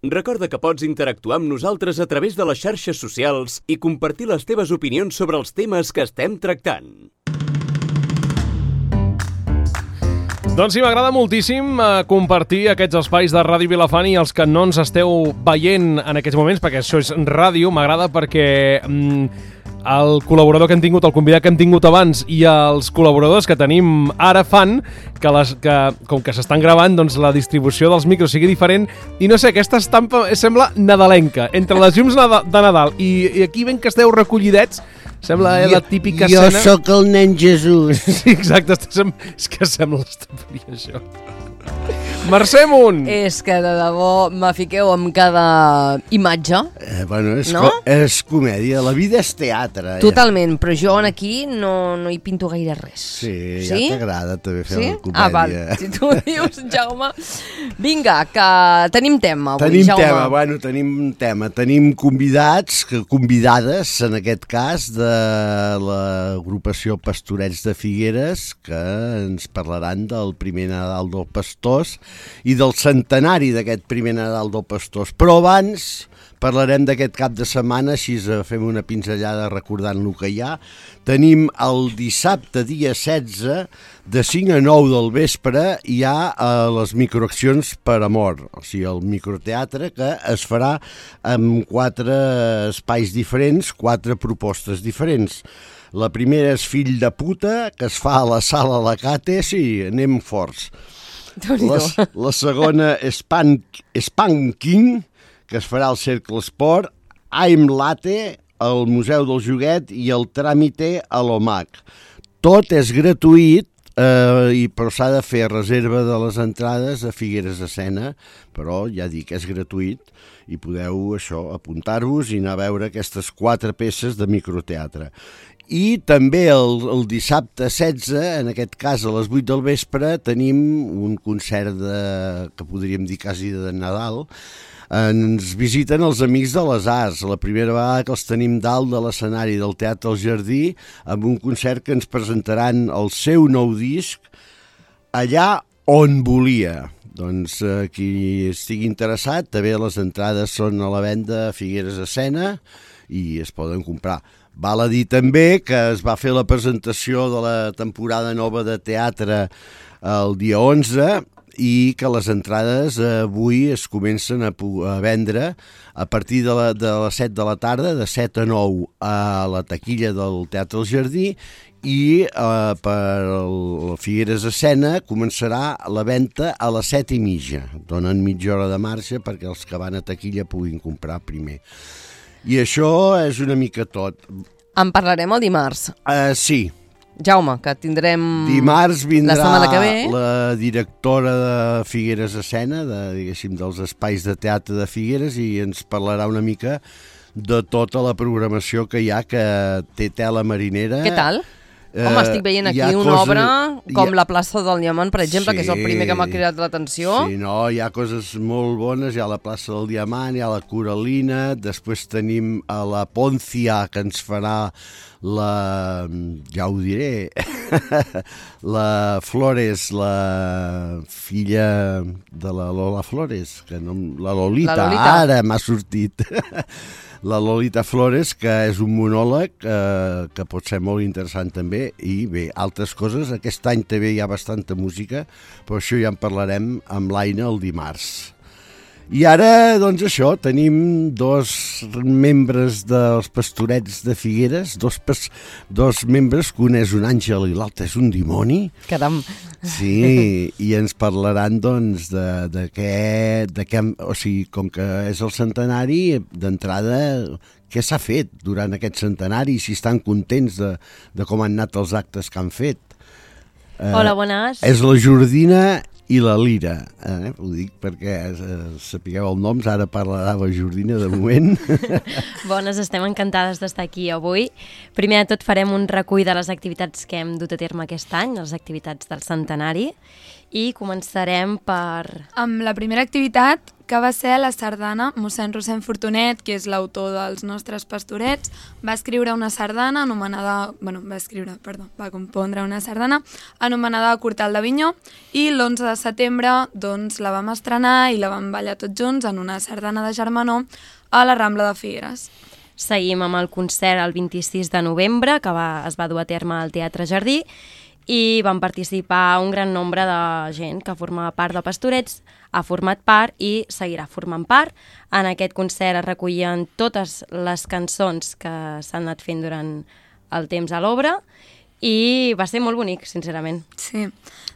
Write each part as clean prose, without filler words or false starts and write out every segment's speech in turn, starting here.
Recorda que pots interactuar amb nosaltres a través de les xarxes socials i compartir les teves opinions sobre els temes que estem tractant. Doncs sí, m'agrada moltíssim compartir aquests espais de Ràdio Vilafant i els que no ens esteu veient en aquests moments, perquè això és ràdio, m'agrada perquè el col·laborador que hem tingut, el convidat que hem tingut abans i els col·laboradors que tenim ara fan que com que s'estan gravant, doncs la distribució dels micros sigui diferent i no sé, aquesta estampa sembla nadalenca, entre les llums de Nadal i aquí ben que esteu recollidets. Sembla la típica escena... Jo sóc el nen Jesús. Sí, exacte. És que sembla l'estamperia, això. Mercè Munt! És que de debò m'afiqueu amb cada imatge. Bueno, no? És comèdia. La vida és teatre. Totalment, però jo aquí no hi pinto gaire res. Sí? Ja t'agrada també fer la comèdia. Ah, val. Si tu ho dius, Jaume. Vinga, que tenim tema avui, Jaume. Tenim tema. Tenim convidades, en aquest cas, de l'agrupació Pastorets de Figueres, que ens parlaran del primer Nadal del Pastors i del centenari d'aquest primer Nadal del Pastors. Però abans parlarem d'aquest cap de setmana, així fem una pinzellada recordant el que hi ha. Tenim el dissabte, dia 16, de 5 a 9 del vespre, hi ha les microaccions per amor, o sigui, el microteatre que es farà amb 4 espais diferents, 4 propostes diferents. La primera és Fill de puta, que es fa a la sala Lacate, sí, anem forts. La segona és Spanking, que es farà al Cercle Esport, I'm Latte, al Museu del Joguet i el Tràmite a l'OMAC. Tot és gratuït, però s'ha de fer reserva de les entrades a Figueres Escena, però ja dic, és gratuït i podeu apuntar-vos i anar a veure aquestes 4 peces de microteatre. I també el dissabte 16, en aquest cas a les 8 del vespre, tenim un concert que podríem dir quasi de Nadal. Ens visiten els Amics de les Arts, la primera vegada que els tenim dalt de l'escenari del Teatre al Jardí, amb un concert que ens presentaran el seu nou disc, Allà on volia. Doncs qui estigui interessat, també les entrades són a la venda a Figueres Escena i es poden comprar. Val a dir també que es va fer la presentació de la temporada nova de teatre el dia 11 i que les entrades avui es comencen a vendre a partir de les 7 de la tarda, de 7 a 9 a la taquilla del Teatre al Jardí i per la Figueres Escena començarà la venda a les 7:30. Donen mitja hora de marge perquè els que van a taquilla puguin comprar primer. I això és una mica tot. En parlarem el dimarts. Sí. Jaume, que tindrem dimarts vindrà la setmana que ve. La directora de Figueres Escena, dels espais de teatre de Figueres, i ens parlarà una mica de tota la programació que hi ha, que té tela marinera. Què tal? Home, estic veient aquí una obra com la plaça del Diamant, per exemple, que és el primer que m'ha cridat l'atenció. Sí, no, hi ha coses molt bones, hi ha la plaça del Diamant, hi ha la Coralina, després tenim a la Poncia, que ens farà ja ho diré, la Flores, la filla de la Lola Flores, la Lolita, ara m'ha sortit. La Lolita Flores, que és un monòleg que pot ser molt interessant també, i bé, altres coses. Aquest any també hi ha bastanta música, però això ja en parlarem amb l'Aina el dimarts. I ara, doncs això, tenim 2 membres dels Pastorets de Figueres, dos membres, que un és un àngel i l'altre és un dimoni. Caram! Sí, i ens parlaran, doncs, de què, o sigui, com que és el centenari, d'entrada, què s'ha fet durant aquest centenari, si estan contents de com han anat els actes que han fet. Hola, bones. És la Jordina i la Lira, ho dic perquè sapigueu els noms, ara parlarà la Jordina de moment. Bones, estem encantades d'estar aquí avui. Primer de tot farem un recull de les activitats que hem dut a terme aquest any, les activitats del centenari, i començarem per... Amb la primera activitat, que va ser la sardana. Mossèn Rossend Fortunet, que és l'autor dels nostres pastorets, va escriure una sardana anomenada... va compondre una sardana anomenada Cortal d'Avinyó, i l'11 de setembre doncs, la vam estrenar i la vam ballar tots junts en una sardana de germanor a la Rambla de Figueres. Seguim amb el concert el 26 de novembre, que es va dur a terme al Teatre Jardí, i van participar un gran nombre de gent que formava part de Pastorets, ha format part i seguirà formant part. En aquest concert es recollien totes les cançons que s'han anat fent durant el temps a l'obra i va ser molt bonic, sincerament. Sí.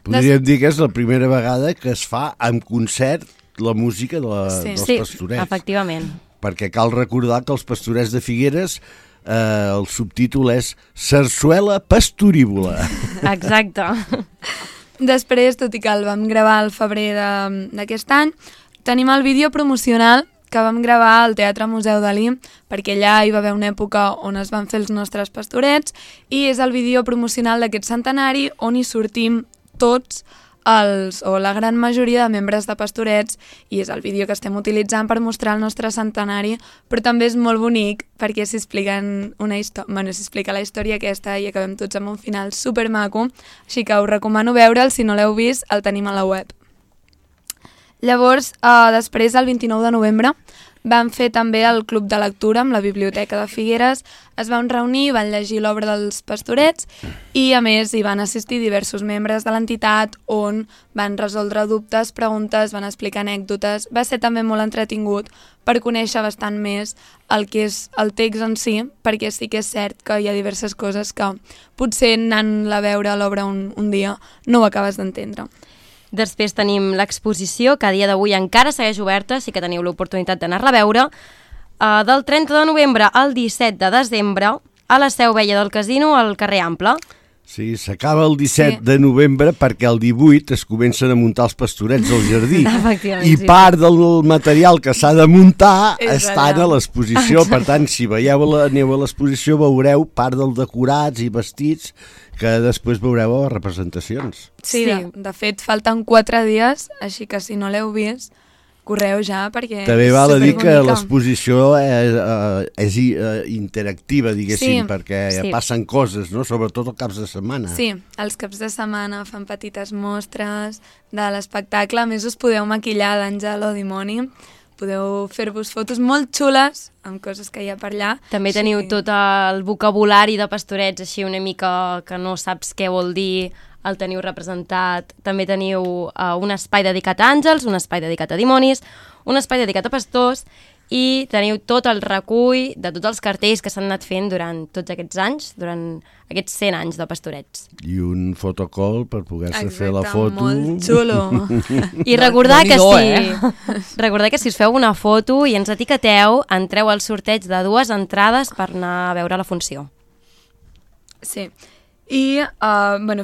Podríem dir que és la primera vegada que es fa en concert la música dels Pastorets. Sí, efectivament. Perquè cal recordar que els Pastorets de Figueres el subtítol és Sarsuela Pastorívola. Exacte. Després, tot i que el vam gravar al febrer d'aquest any, tenim el vídeo promocional que vam gravar al Teatre Museu Dalí, perquè allà hi va haver una època on es van fer els nostres pastorets, i és el vídeo promocional d'aquest centenari on hi sortim tots o la gran majoria de membres de Pastorets, i és el vídeo que estem utilitzant per mostrar el nostre centenari, però també és molt bonic perquè s'explica la història aquesta i acabem tots amb un final supermaco, així que us recomano veure'l. Si no l'heu vist, el tenim a la web. Llavors, després, el 29 de novembre, vam fer també el club de lectura amb la Biblioteca de Figueres. Es van reunir, van llegir l'obra dels Pastorets i, a més, hi van assistir diversos membres de l'entitat on van resoldre dubtes, preguntes, van explicar anècdotes. Va ser també molt entretingut per conèixer bastant més el que és el text en si, perquè sí que és cert que hi ha diverses coses que potser anant-la a veure l'obra un dia no ho acabes d'entendre. Després tenim l'exposició, que a dia d'avui encara segueix oberta, sí que teniu l'oportunitat d'anar-la a veure, del 30 de novembre al 17 de desembre a la Seu Vella del Casino, al carrer Ample. Sí, s'acaba el 17 de novembre perquè el 18 es comencen a muntar els Pastorets al jardí. I part del material que s'ha de muntar està a l'exposició. Per tant, si aneu a l'exposició veureu part dels decorats i vestits que després veureu a les representacions. Sí. De fet, falten 4 dies, així que si no l'heu vist, correu ja, perquè també val a dir que l'exposició és interactiva, diguéssim, perquè passen coses, no? Sobretot els caps de setmana. Sí, els caps de setmana fan petites mostres de l'espectacle. A més, us podeu maquillar d'àngel o dimoni. Podeu fer-vos fotos molt xules amb coses que hi ha per allà. També teniu tot el vocabulari de Pastorets, així una mica que no saps què vol dir, el teniu representat. També teniu un espai dedicat a àngels, un espai dedicat a dimonis, un espai dedicat a pastors, i teniu tot el recull de tots els cartells que s'han anat fent durant tots aquests anys, durant aquests 100 anys de Pastorets. I un fotocall per poder-se fer la foto. Molt xulo. I recordar que si us feu una foto i ens etiqueteu, entreu al sorteig de 2 entrades per anar a veure la funció. Sí. I,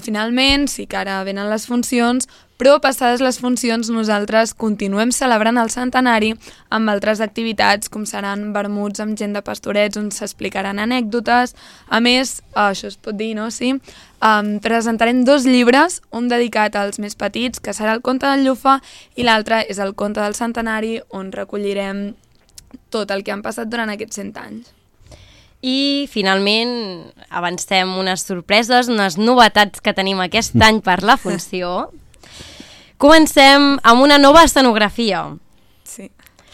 finalment, sí que ara venen les funcions, però passades les funcions nosaltres continuem celebrant el centenari amb altres activitats, com seran vermuts amb gent de Pastorets on s'explicaran anècdotes. A més, això es pot dir, no? Sí. Presentarem 2 llibres, un dedicat als més petits, que serà el conte del Llufa, i l'altre és el conte del centenari, on recollirem tot el que han passat durant aquests 100 anys. I, finalment, avancem unes sorpreses, unes novetats que tenim aquest any per la funció. Comencem amb una nova escenografia. Sí.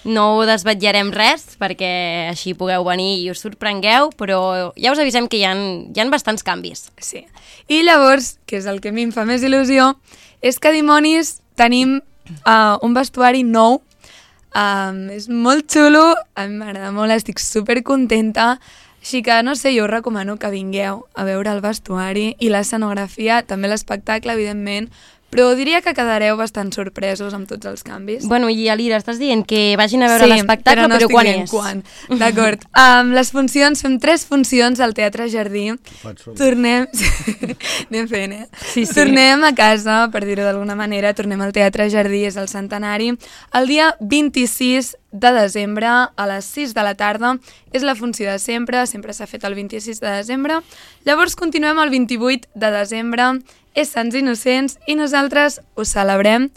No desvetllarem res, perquè així pugueu venir i us sorprengueu, però ja us avisem que hi ha bastants canvis. Sí. I llavors, que és el que a mi em fa més il·lusió, és que dimonis tenim un vestuari nou. És molt xulo, a mi m'agrada molt, estic supercontenta. Així que, no sé, jo us recomano que vingueu a veure el vestuari i l'escenografia, també l'espectacle, evidentment, però diria que quedareu bastant sorpresos amb tots els canvis. Bueno, i Alira, estàs dient que vagin a veure l'espectacle, però quan és? Quan. D'acord. Les funcions, fem 3 funcions al Teatre Jardí. Tornem... Anem fent, Sí. Tornem a casa, per dir-ho d'alguna manera, tornem al Teatre Jardí, és el centenari. El dia 26 de desembre a les 6 de la tarda. És la funció de sempre s'ha fet el 26 de desembre. Llavors continuem el 28 de desembre, és Sants Innocents i nosaltres ho celebrem.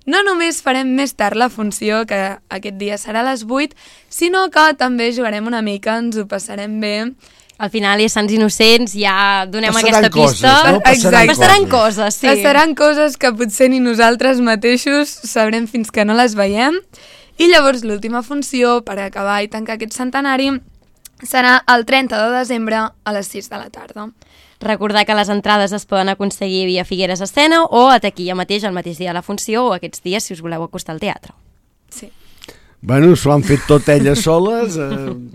No només farem més tard la funció, que aquest dia serà a les 8, sinó que també jugarem una mica, ens ho passarem bé. Al final és Sants Innocents, ja donem aquesta coses, pista. no? Passaran coses, sí. Passaran coses que potser ni nosaltres mateixos sabrem fins que no les veiem. I llavors l'última funció, per acabar i tancar aquest centenari, serà el 30 de desembre a les 6 de la tarda. Recordar que les entrades es poden aconseguir via Figueres Escena o a taquilla mateix, el mateix dia de la funció, o aquests dies si us voleu acostar al teatre. Sí. Bueno, s'ho han fet tot elles soles.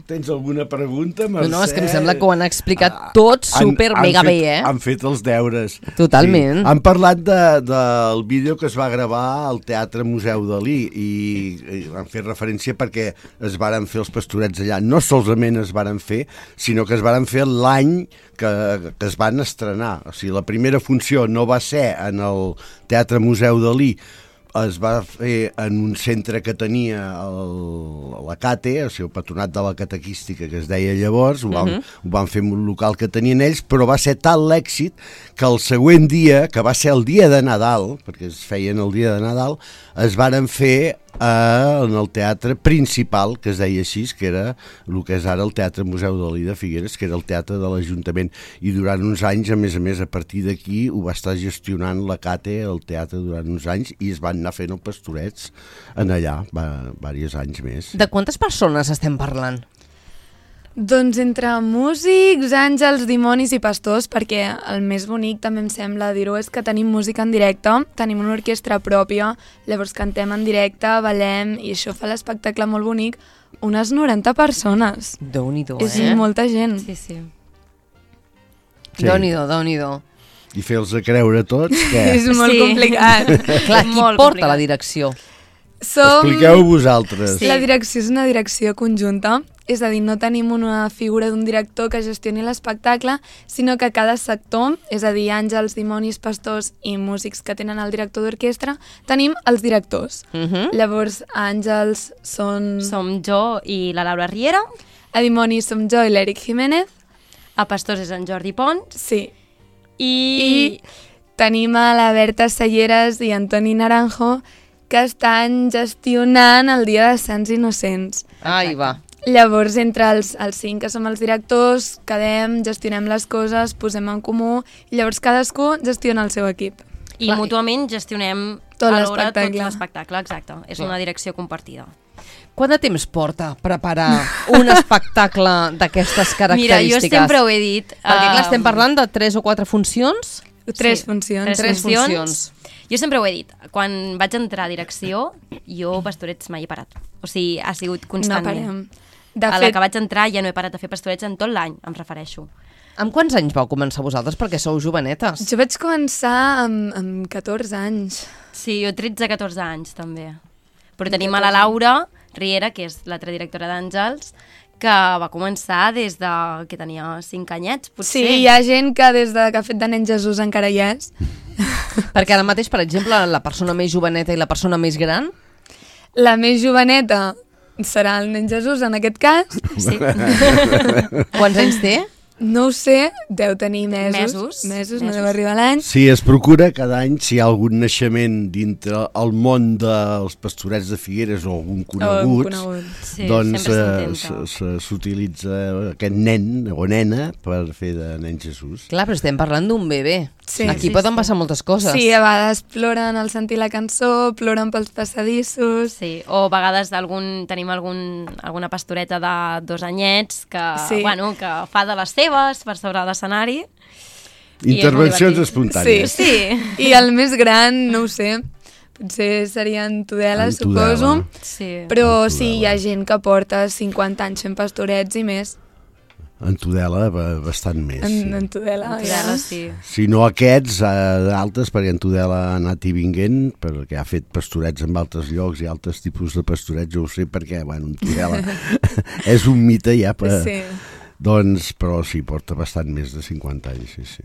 Tens alguna pregunta, Mercè? No, és que em sembla que ho han explicat tot super mega bé, eh? Han fet els deures. Totalment. Sí. Han parlat del vídeo que es va gravar al Teatre Museu Dalí i han fet referència perquè es varen fer els Pastorets allà. No solament es varen fer, sinó que es varen fer l'any que es van estrenar. O sigui, la primera funció no va ser en el Teatre Museu Dalí, es va fer en un centre que tenia la CATE, o sigui, el Patronat de la Catequística, que es deia llavors, ho van fer en un local que tenien ells, però va ser tal l'èxit que el següent dia, que va ser el dia de Nadal, perquè es feien el dia de Nadal, es varen fer en el teatre principal, que es deia així, que era el que és ara el Teatre Museu Dalí de Figueres, que era el teatre de l'Ajuntament, i durant uns anys, a més, a partir d'aquí ho va estar gestionant la CATE, el teatre, durant uns anys, i es van anar fent els Pastorets en allà, diversos anys més. De quantes persones estem parlant? Doncs entre músics, àngels, dimonis i pastors, perquè el més bonic també em sembla dir-ho és que tenim música en directe, tenim una orquestra pròpia, llavors cantem en directe, ballem i això fa l'espectacle molt bonic. Unes 90 persones. Déu-n'hi-do, És molta gent. Sí, sí. Sí. Déu-n'hi-do, Déu-n'hi-do. I fer-los a creure tots, què? És molt complicat. Clar, qui Molt porta complicat. la direcció? Expliqueu vosaltres. La direcció és una direcció conjunta, és a dir, no tenim una figura d'un director que gestioni l'espectacle, sinó que cada sector, és a dir, àngels, dimonis, pastors i músics que tenen el director d'orquestra, tenim els directors. Llavors, a àngels són... Som jo i la Laura Riera, A dimonis som jo i l'Eric Jiménez. a pastors és en Jordi Pons, Sí. i Tenim a la Berta Selleres i Antoni Naranjo, que estan gestionant el dia de Sants Innocents. Ai, va. Llavors, entre els 5 que som els directors, quedem, gestionem les coses, posem en comú, i llavors cadascú gestiona el seu equip. i mútuament gestionem Tot alhora tot l'espectacle. l'espectacle, exacte. És una direcció compartida. Quant de temps porta preparar un espectacle d'aquestes Mira, característiques? jo sempre ho he dit. Perquè clar, estem parlant de 3 o 4 funcions? Tres funcions. Tres funcions. Jo sempre ho he dit. Quan vaig entrar a direcció, jo pastorets mai he parat. O sigui, ha sigut No constantment. parem. De A la fet, que vaig entrar ja no he parat de fer pastorets en tot l'any, em refereixo. Amb quants anys vau començar vosaltres? Perquè sou jovenetes. jo vaig començar amb 14 anys. Sí, jo 13-14 anys també. Però tenim a la Laura Riera, que és l'altra directora d'Àngels, que va començar des de que tenia 5 anyets, potser. Sí, hi ha gent que des de que ha fet de nen Jesús encara hi és. Perquè ara mateix, per exemple, la persona més joveneta i la persona més gran... La més joveneta serà el nen Jesús, en aquest cas. Sí. Quants anys té? No ho sé, deu tenir mesos. Mesos. No deu arribar l'any. Sí, es procura cada any, si hi ha algun naixement dintre el món dels Pastorets de Figueres o algun conegut, Sí, doncs sempre s'intenta. s'utilitza aquest nen o nena per fer de nen Jesús. Clar, però estem parlant d'un bebè. Sí. Aquí Sí, poden sí. passar moltes coses. Sí, a vegades ploren al sentir la cançó, ploren pels passadissos. Sí, o a vegades tenim alguna pastoreta de 2 anyets que, Sí. bueno, que fa de les seves per sobre l'escenari. I és molt Intervencions divertit. espontànies. Sí. I el més gran, no ho sé, potser seria en Tudela, En Tudela. suposo. Sí. Però sí, hi ha gent que porta 50 anys fent pastorets i més. En Tudela bastant més. En Tudela, Tudela, sí. Si no aquests, d'altres, perquè en Tudela ha anat i vinguent, perquè ha fet pastorets en altres llocs i altres tipus de pastorets, jo ho sé perquè, bueno, en Tudela és un mite ja, Sí. doncs, però sí, porta bastant més de 50 anys, sí, sí.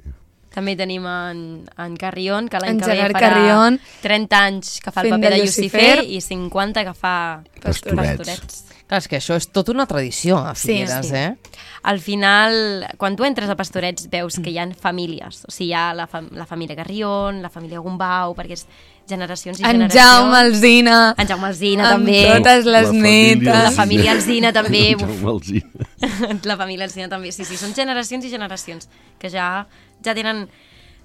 També tenim en Carrion, que l'any En que ve Gerard farà Carrion, 30 anys que fa el fent paper de de Lucifer Lucifer i 50 que fa Pastorets. Clar, és que això és tota una tradició a Figueres, sí. Al final, quan tu entres a Pastorets, veus que hi ha famílies. O sigui, hi ha la família Carrion, la família Gombau, perquè és generacions i en generacions. Jaume Alsina, En Jaume Alsina, amb també. totes les La família netes. La família Alsina, també. Jaume Alsina. La família Alsina, també. Sí, són generacions i generacions que ja tenen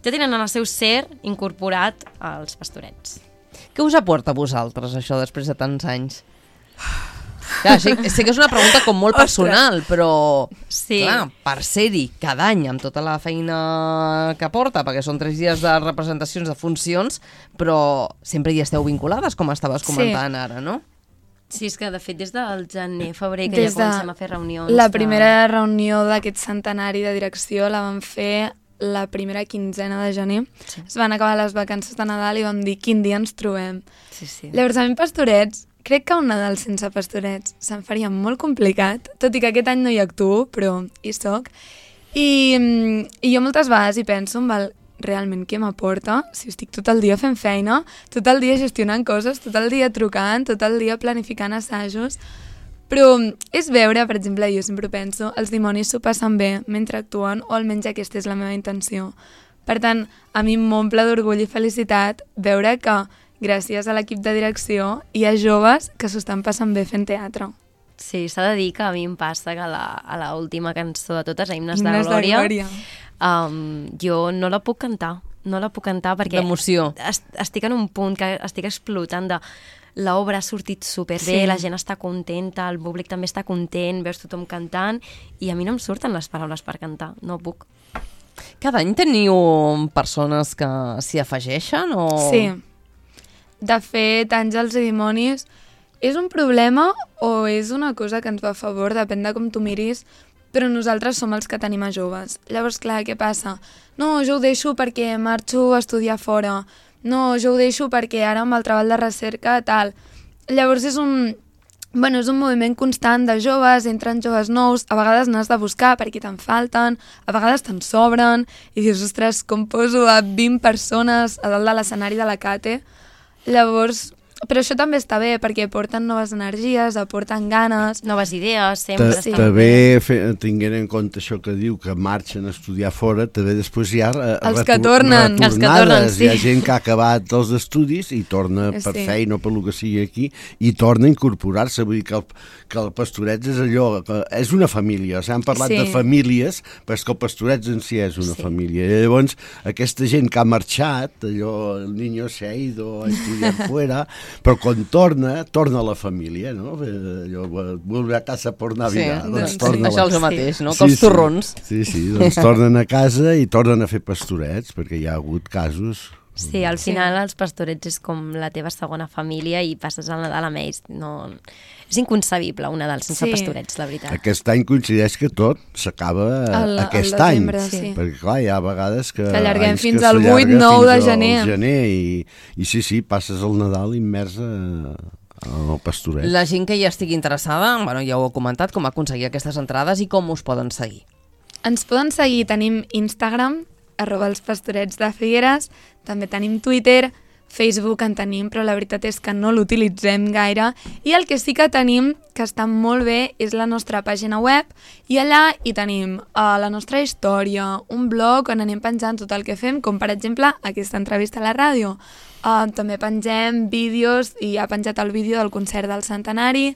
en el seu ser incorporat als Pastorets. Què us aporta a vosaltres, això, després de tants anys? Clar, sé que és una pregunta com molt personal, però Sí. clar, per ser-hi cada any amb tota la feina que porta, perquè són 3 dies de representacions, de funcions, però sempre hi esteu vinculades, com estaves comentant ara, no? Sí, és que de fet des del gener, febrer, que ja comencem a fer reunions. La primera reunió d'aquest centenari de direcció la vam fer la primera quinzena de gener. Sí. Es van acabar les vacances de Nadal i vam dir quin dia ens trobem. Sí. Llavors, a mi Pastorets, crec que un Nadal sense Pastorets se'm faria molt complicat, tot i que aquest any no hi actuo, però hi soc. I jo moltes vegades hi penso, realment què m'aporta si estic tot el dia fent feina, tot el dia gestionant coses, tot el dia trucant, tot el dia planificant assajos, però és veure, per exemple, jo sempre penso, els dimonis s'ho passen bé mentre actuen, o almenys aquesta és la meva intenció. Per tant, a mi m'omple d'orgull i felicitat veure que gràcies a l'equip de direcció hi ha joves que s'ho estan passant bé fent teatre. Sí, s'ha de dir que a mi em passa que a l'última cançó de totes, a Himnes de Himnes de Glòria, Glòria. Jo no la puc cantar. No la puc cantar perquè D'emoció. Estic en un punt que estic explotant de l'obra ha sortit superbé, Sí. la gent està contenta, el públic també està content, veus tothom cantant i a mi no em surten les paraules per cantar, no puc. Cada any teniu persones que s'hi afegeixen o... Sí. De fet, Àngels i Dimonis és un problema o és una cosa que ens va a favor, depèn de com tu miris, però nosaltres som els que tenim a joves. Llavors, clar, què passa? No, jo ho deixo perquè marxo a estudiar fora. No, jo ho deixo perquè ara amb el treball de recerca tal. Llavors és un moviment constant de joves, entren joves nous, a vegades n'has de buscar perquè te'n falten, a vegades te'n sobren, i dius, ostres, com poso a 20 persones a dalt de l'escenari de la Cate? Llavors, però això també està bé, perquè porten noves energies, aporten ganes. Noves idees, sempre estan També, tinguent en compte això que diu, que marxen a estudiar fora, també després hi ha Els que tornen. Els que tornen, sí. Hi ha gent que ha acabat els estudis i torna per Sí. feina o per lo que sigui aquí, i torna a incorporar-se. Vull dir que el Pastorets és allò, que és una família. S'han parlat Sí. de famílies, però és que el Pastorets en si és una família. I llavors, aquesta gent que ha marxat, allò, el niño se ha ido a estudiar fuera, però quan torna a la família, no? Allò, vuelve a casa por Navidad. Sí, Doncs sí, torna això a és el mateix, no? Sí, Que els torrons. Sí, doncs tornen a casa i tornen a fer pastorets, perquè hi ha hagut casos. Sí, al final els Pastorets és com la teva segona família i passes el Nadal amb ells. No... És inconcebible un Nadal sense Sí. Pastorets, la veritat. Aquest any coincideix que tot s'acaba aquest any. desembre, sí. Perquè, clar, hi ha vegades que allarguem anys fins que al s'allarga 8-9 de fins al gener. I sí, passes el Nadal immers al pastoret. La gent que ja estigui interessada, bueno, ja ho heu comentat, com aconseguir aquestes entrades i com us poden seguir. Ens poden seguir, tenim Instagram, @elspastorets de Figueres, també tenim Twitter, Facebook en tenim, però la veritat és que no l'utilitzem gaire, i el que sí que tenim, que està molt bé, és la nostra pàgina web, i allà hi tenim la nostra història, un blog on anem penjant tot el que fem, com per exemple aquesta entrevista a la ràdio. També pengem vídeos, i ha penjat el vídeo del concert del centenari.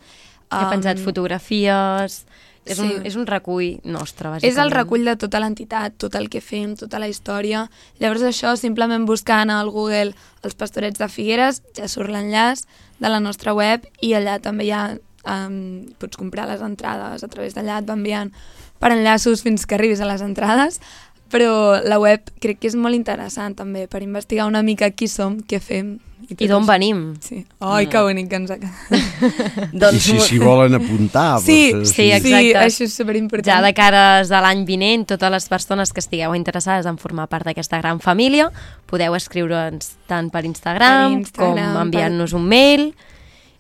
He penjat fotografies... És Sí. un recull nostre, bàsicament. És el recull de tota l'entitat, tot el que fem, tota la història. Llavors això, simplement buscant al Google els Pastorets de Figueres, ja surt l'enllaç de la nostra web, i allà també ja pots comprar les entrades a través d'allà, et va enviant per enllaços fins que arribis a les entrades, però la web crec que és molt interessant també per investigar una mica qui som, què fem. I d'on venim. Sí. Ai, que bonic que ens ha quedat. I si volen apuntar... Sí, doncs, sí, exacte. Sí, això és superimportant. Ja de cares a l'any vinent, totes les persones que estigueu interessades en formar part d'aquesta gran família, podeu escriure'ns tant per Instagram, com enviant-nos un mail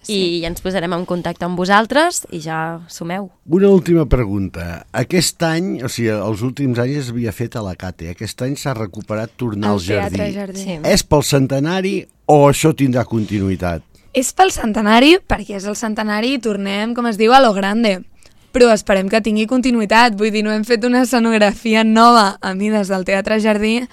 i ja ens posarem en contacte amb vosaltres i ja sumeu. Una última pregunta. Aquest any, o sigui, els últims anys es havia fet a la Cate. Aquest any s'ha recuperat tornar al Teatre jardí. Sí. És pel centenari o això tindrà continuïtat? És pel centenari, perquè és el centenari i tornem, com es diu, a lo grande. Però esperem que tingui continuïtat. Vull dir, no hem fet una escenografia nova a mides del Teatre Jardí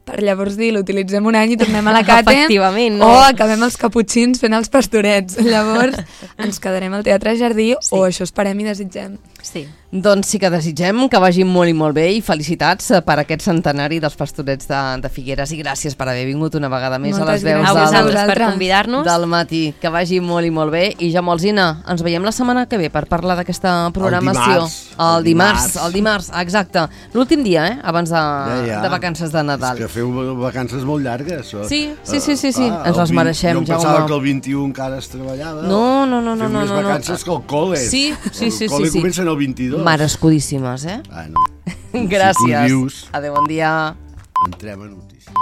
per llavors dir, l'utilitzem un any i tornem a la Cate. Efectivament, no? O acabem els caputxins fent els pastorets. Llavors ens quedarem al Teatre Jardí o això esperem i desitgem. Sí. Doncs sí que desitgem que vagi molt i molt bé i felicitats per aquest centenari dels Pastorets de Figueres i gràcies per haver vingut una vegada més Moltes a les veus A gràcies. vosaltres per vosaltres. convidar-nos. del matí. Que vagi molt i molt bé. I ja Molsina, ens veiem la setmana que ve per parlar d'aquesta programació. El dimarts. El dimarts, exacte. L'últim dia, abans de vacances de Nadal. És que feu vacances molt llargues. Sí. Ens les mereixem, Jo pensava Jaume. que el 21 encara es treballava. No. Feu més vacances que el col·le. Sí. El col·le comença en el 22. Merescudíssimes, Bueno, Gràcies. dius. Adéu, bon dia. Entrem a notícies.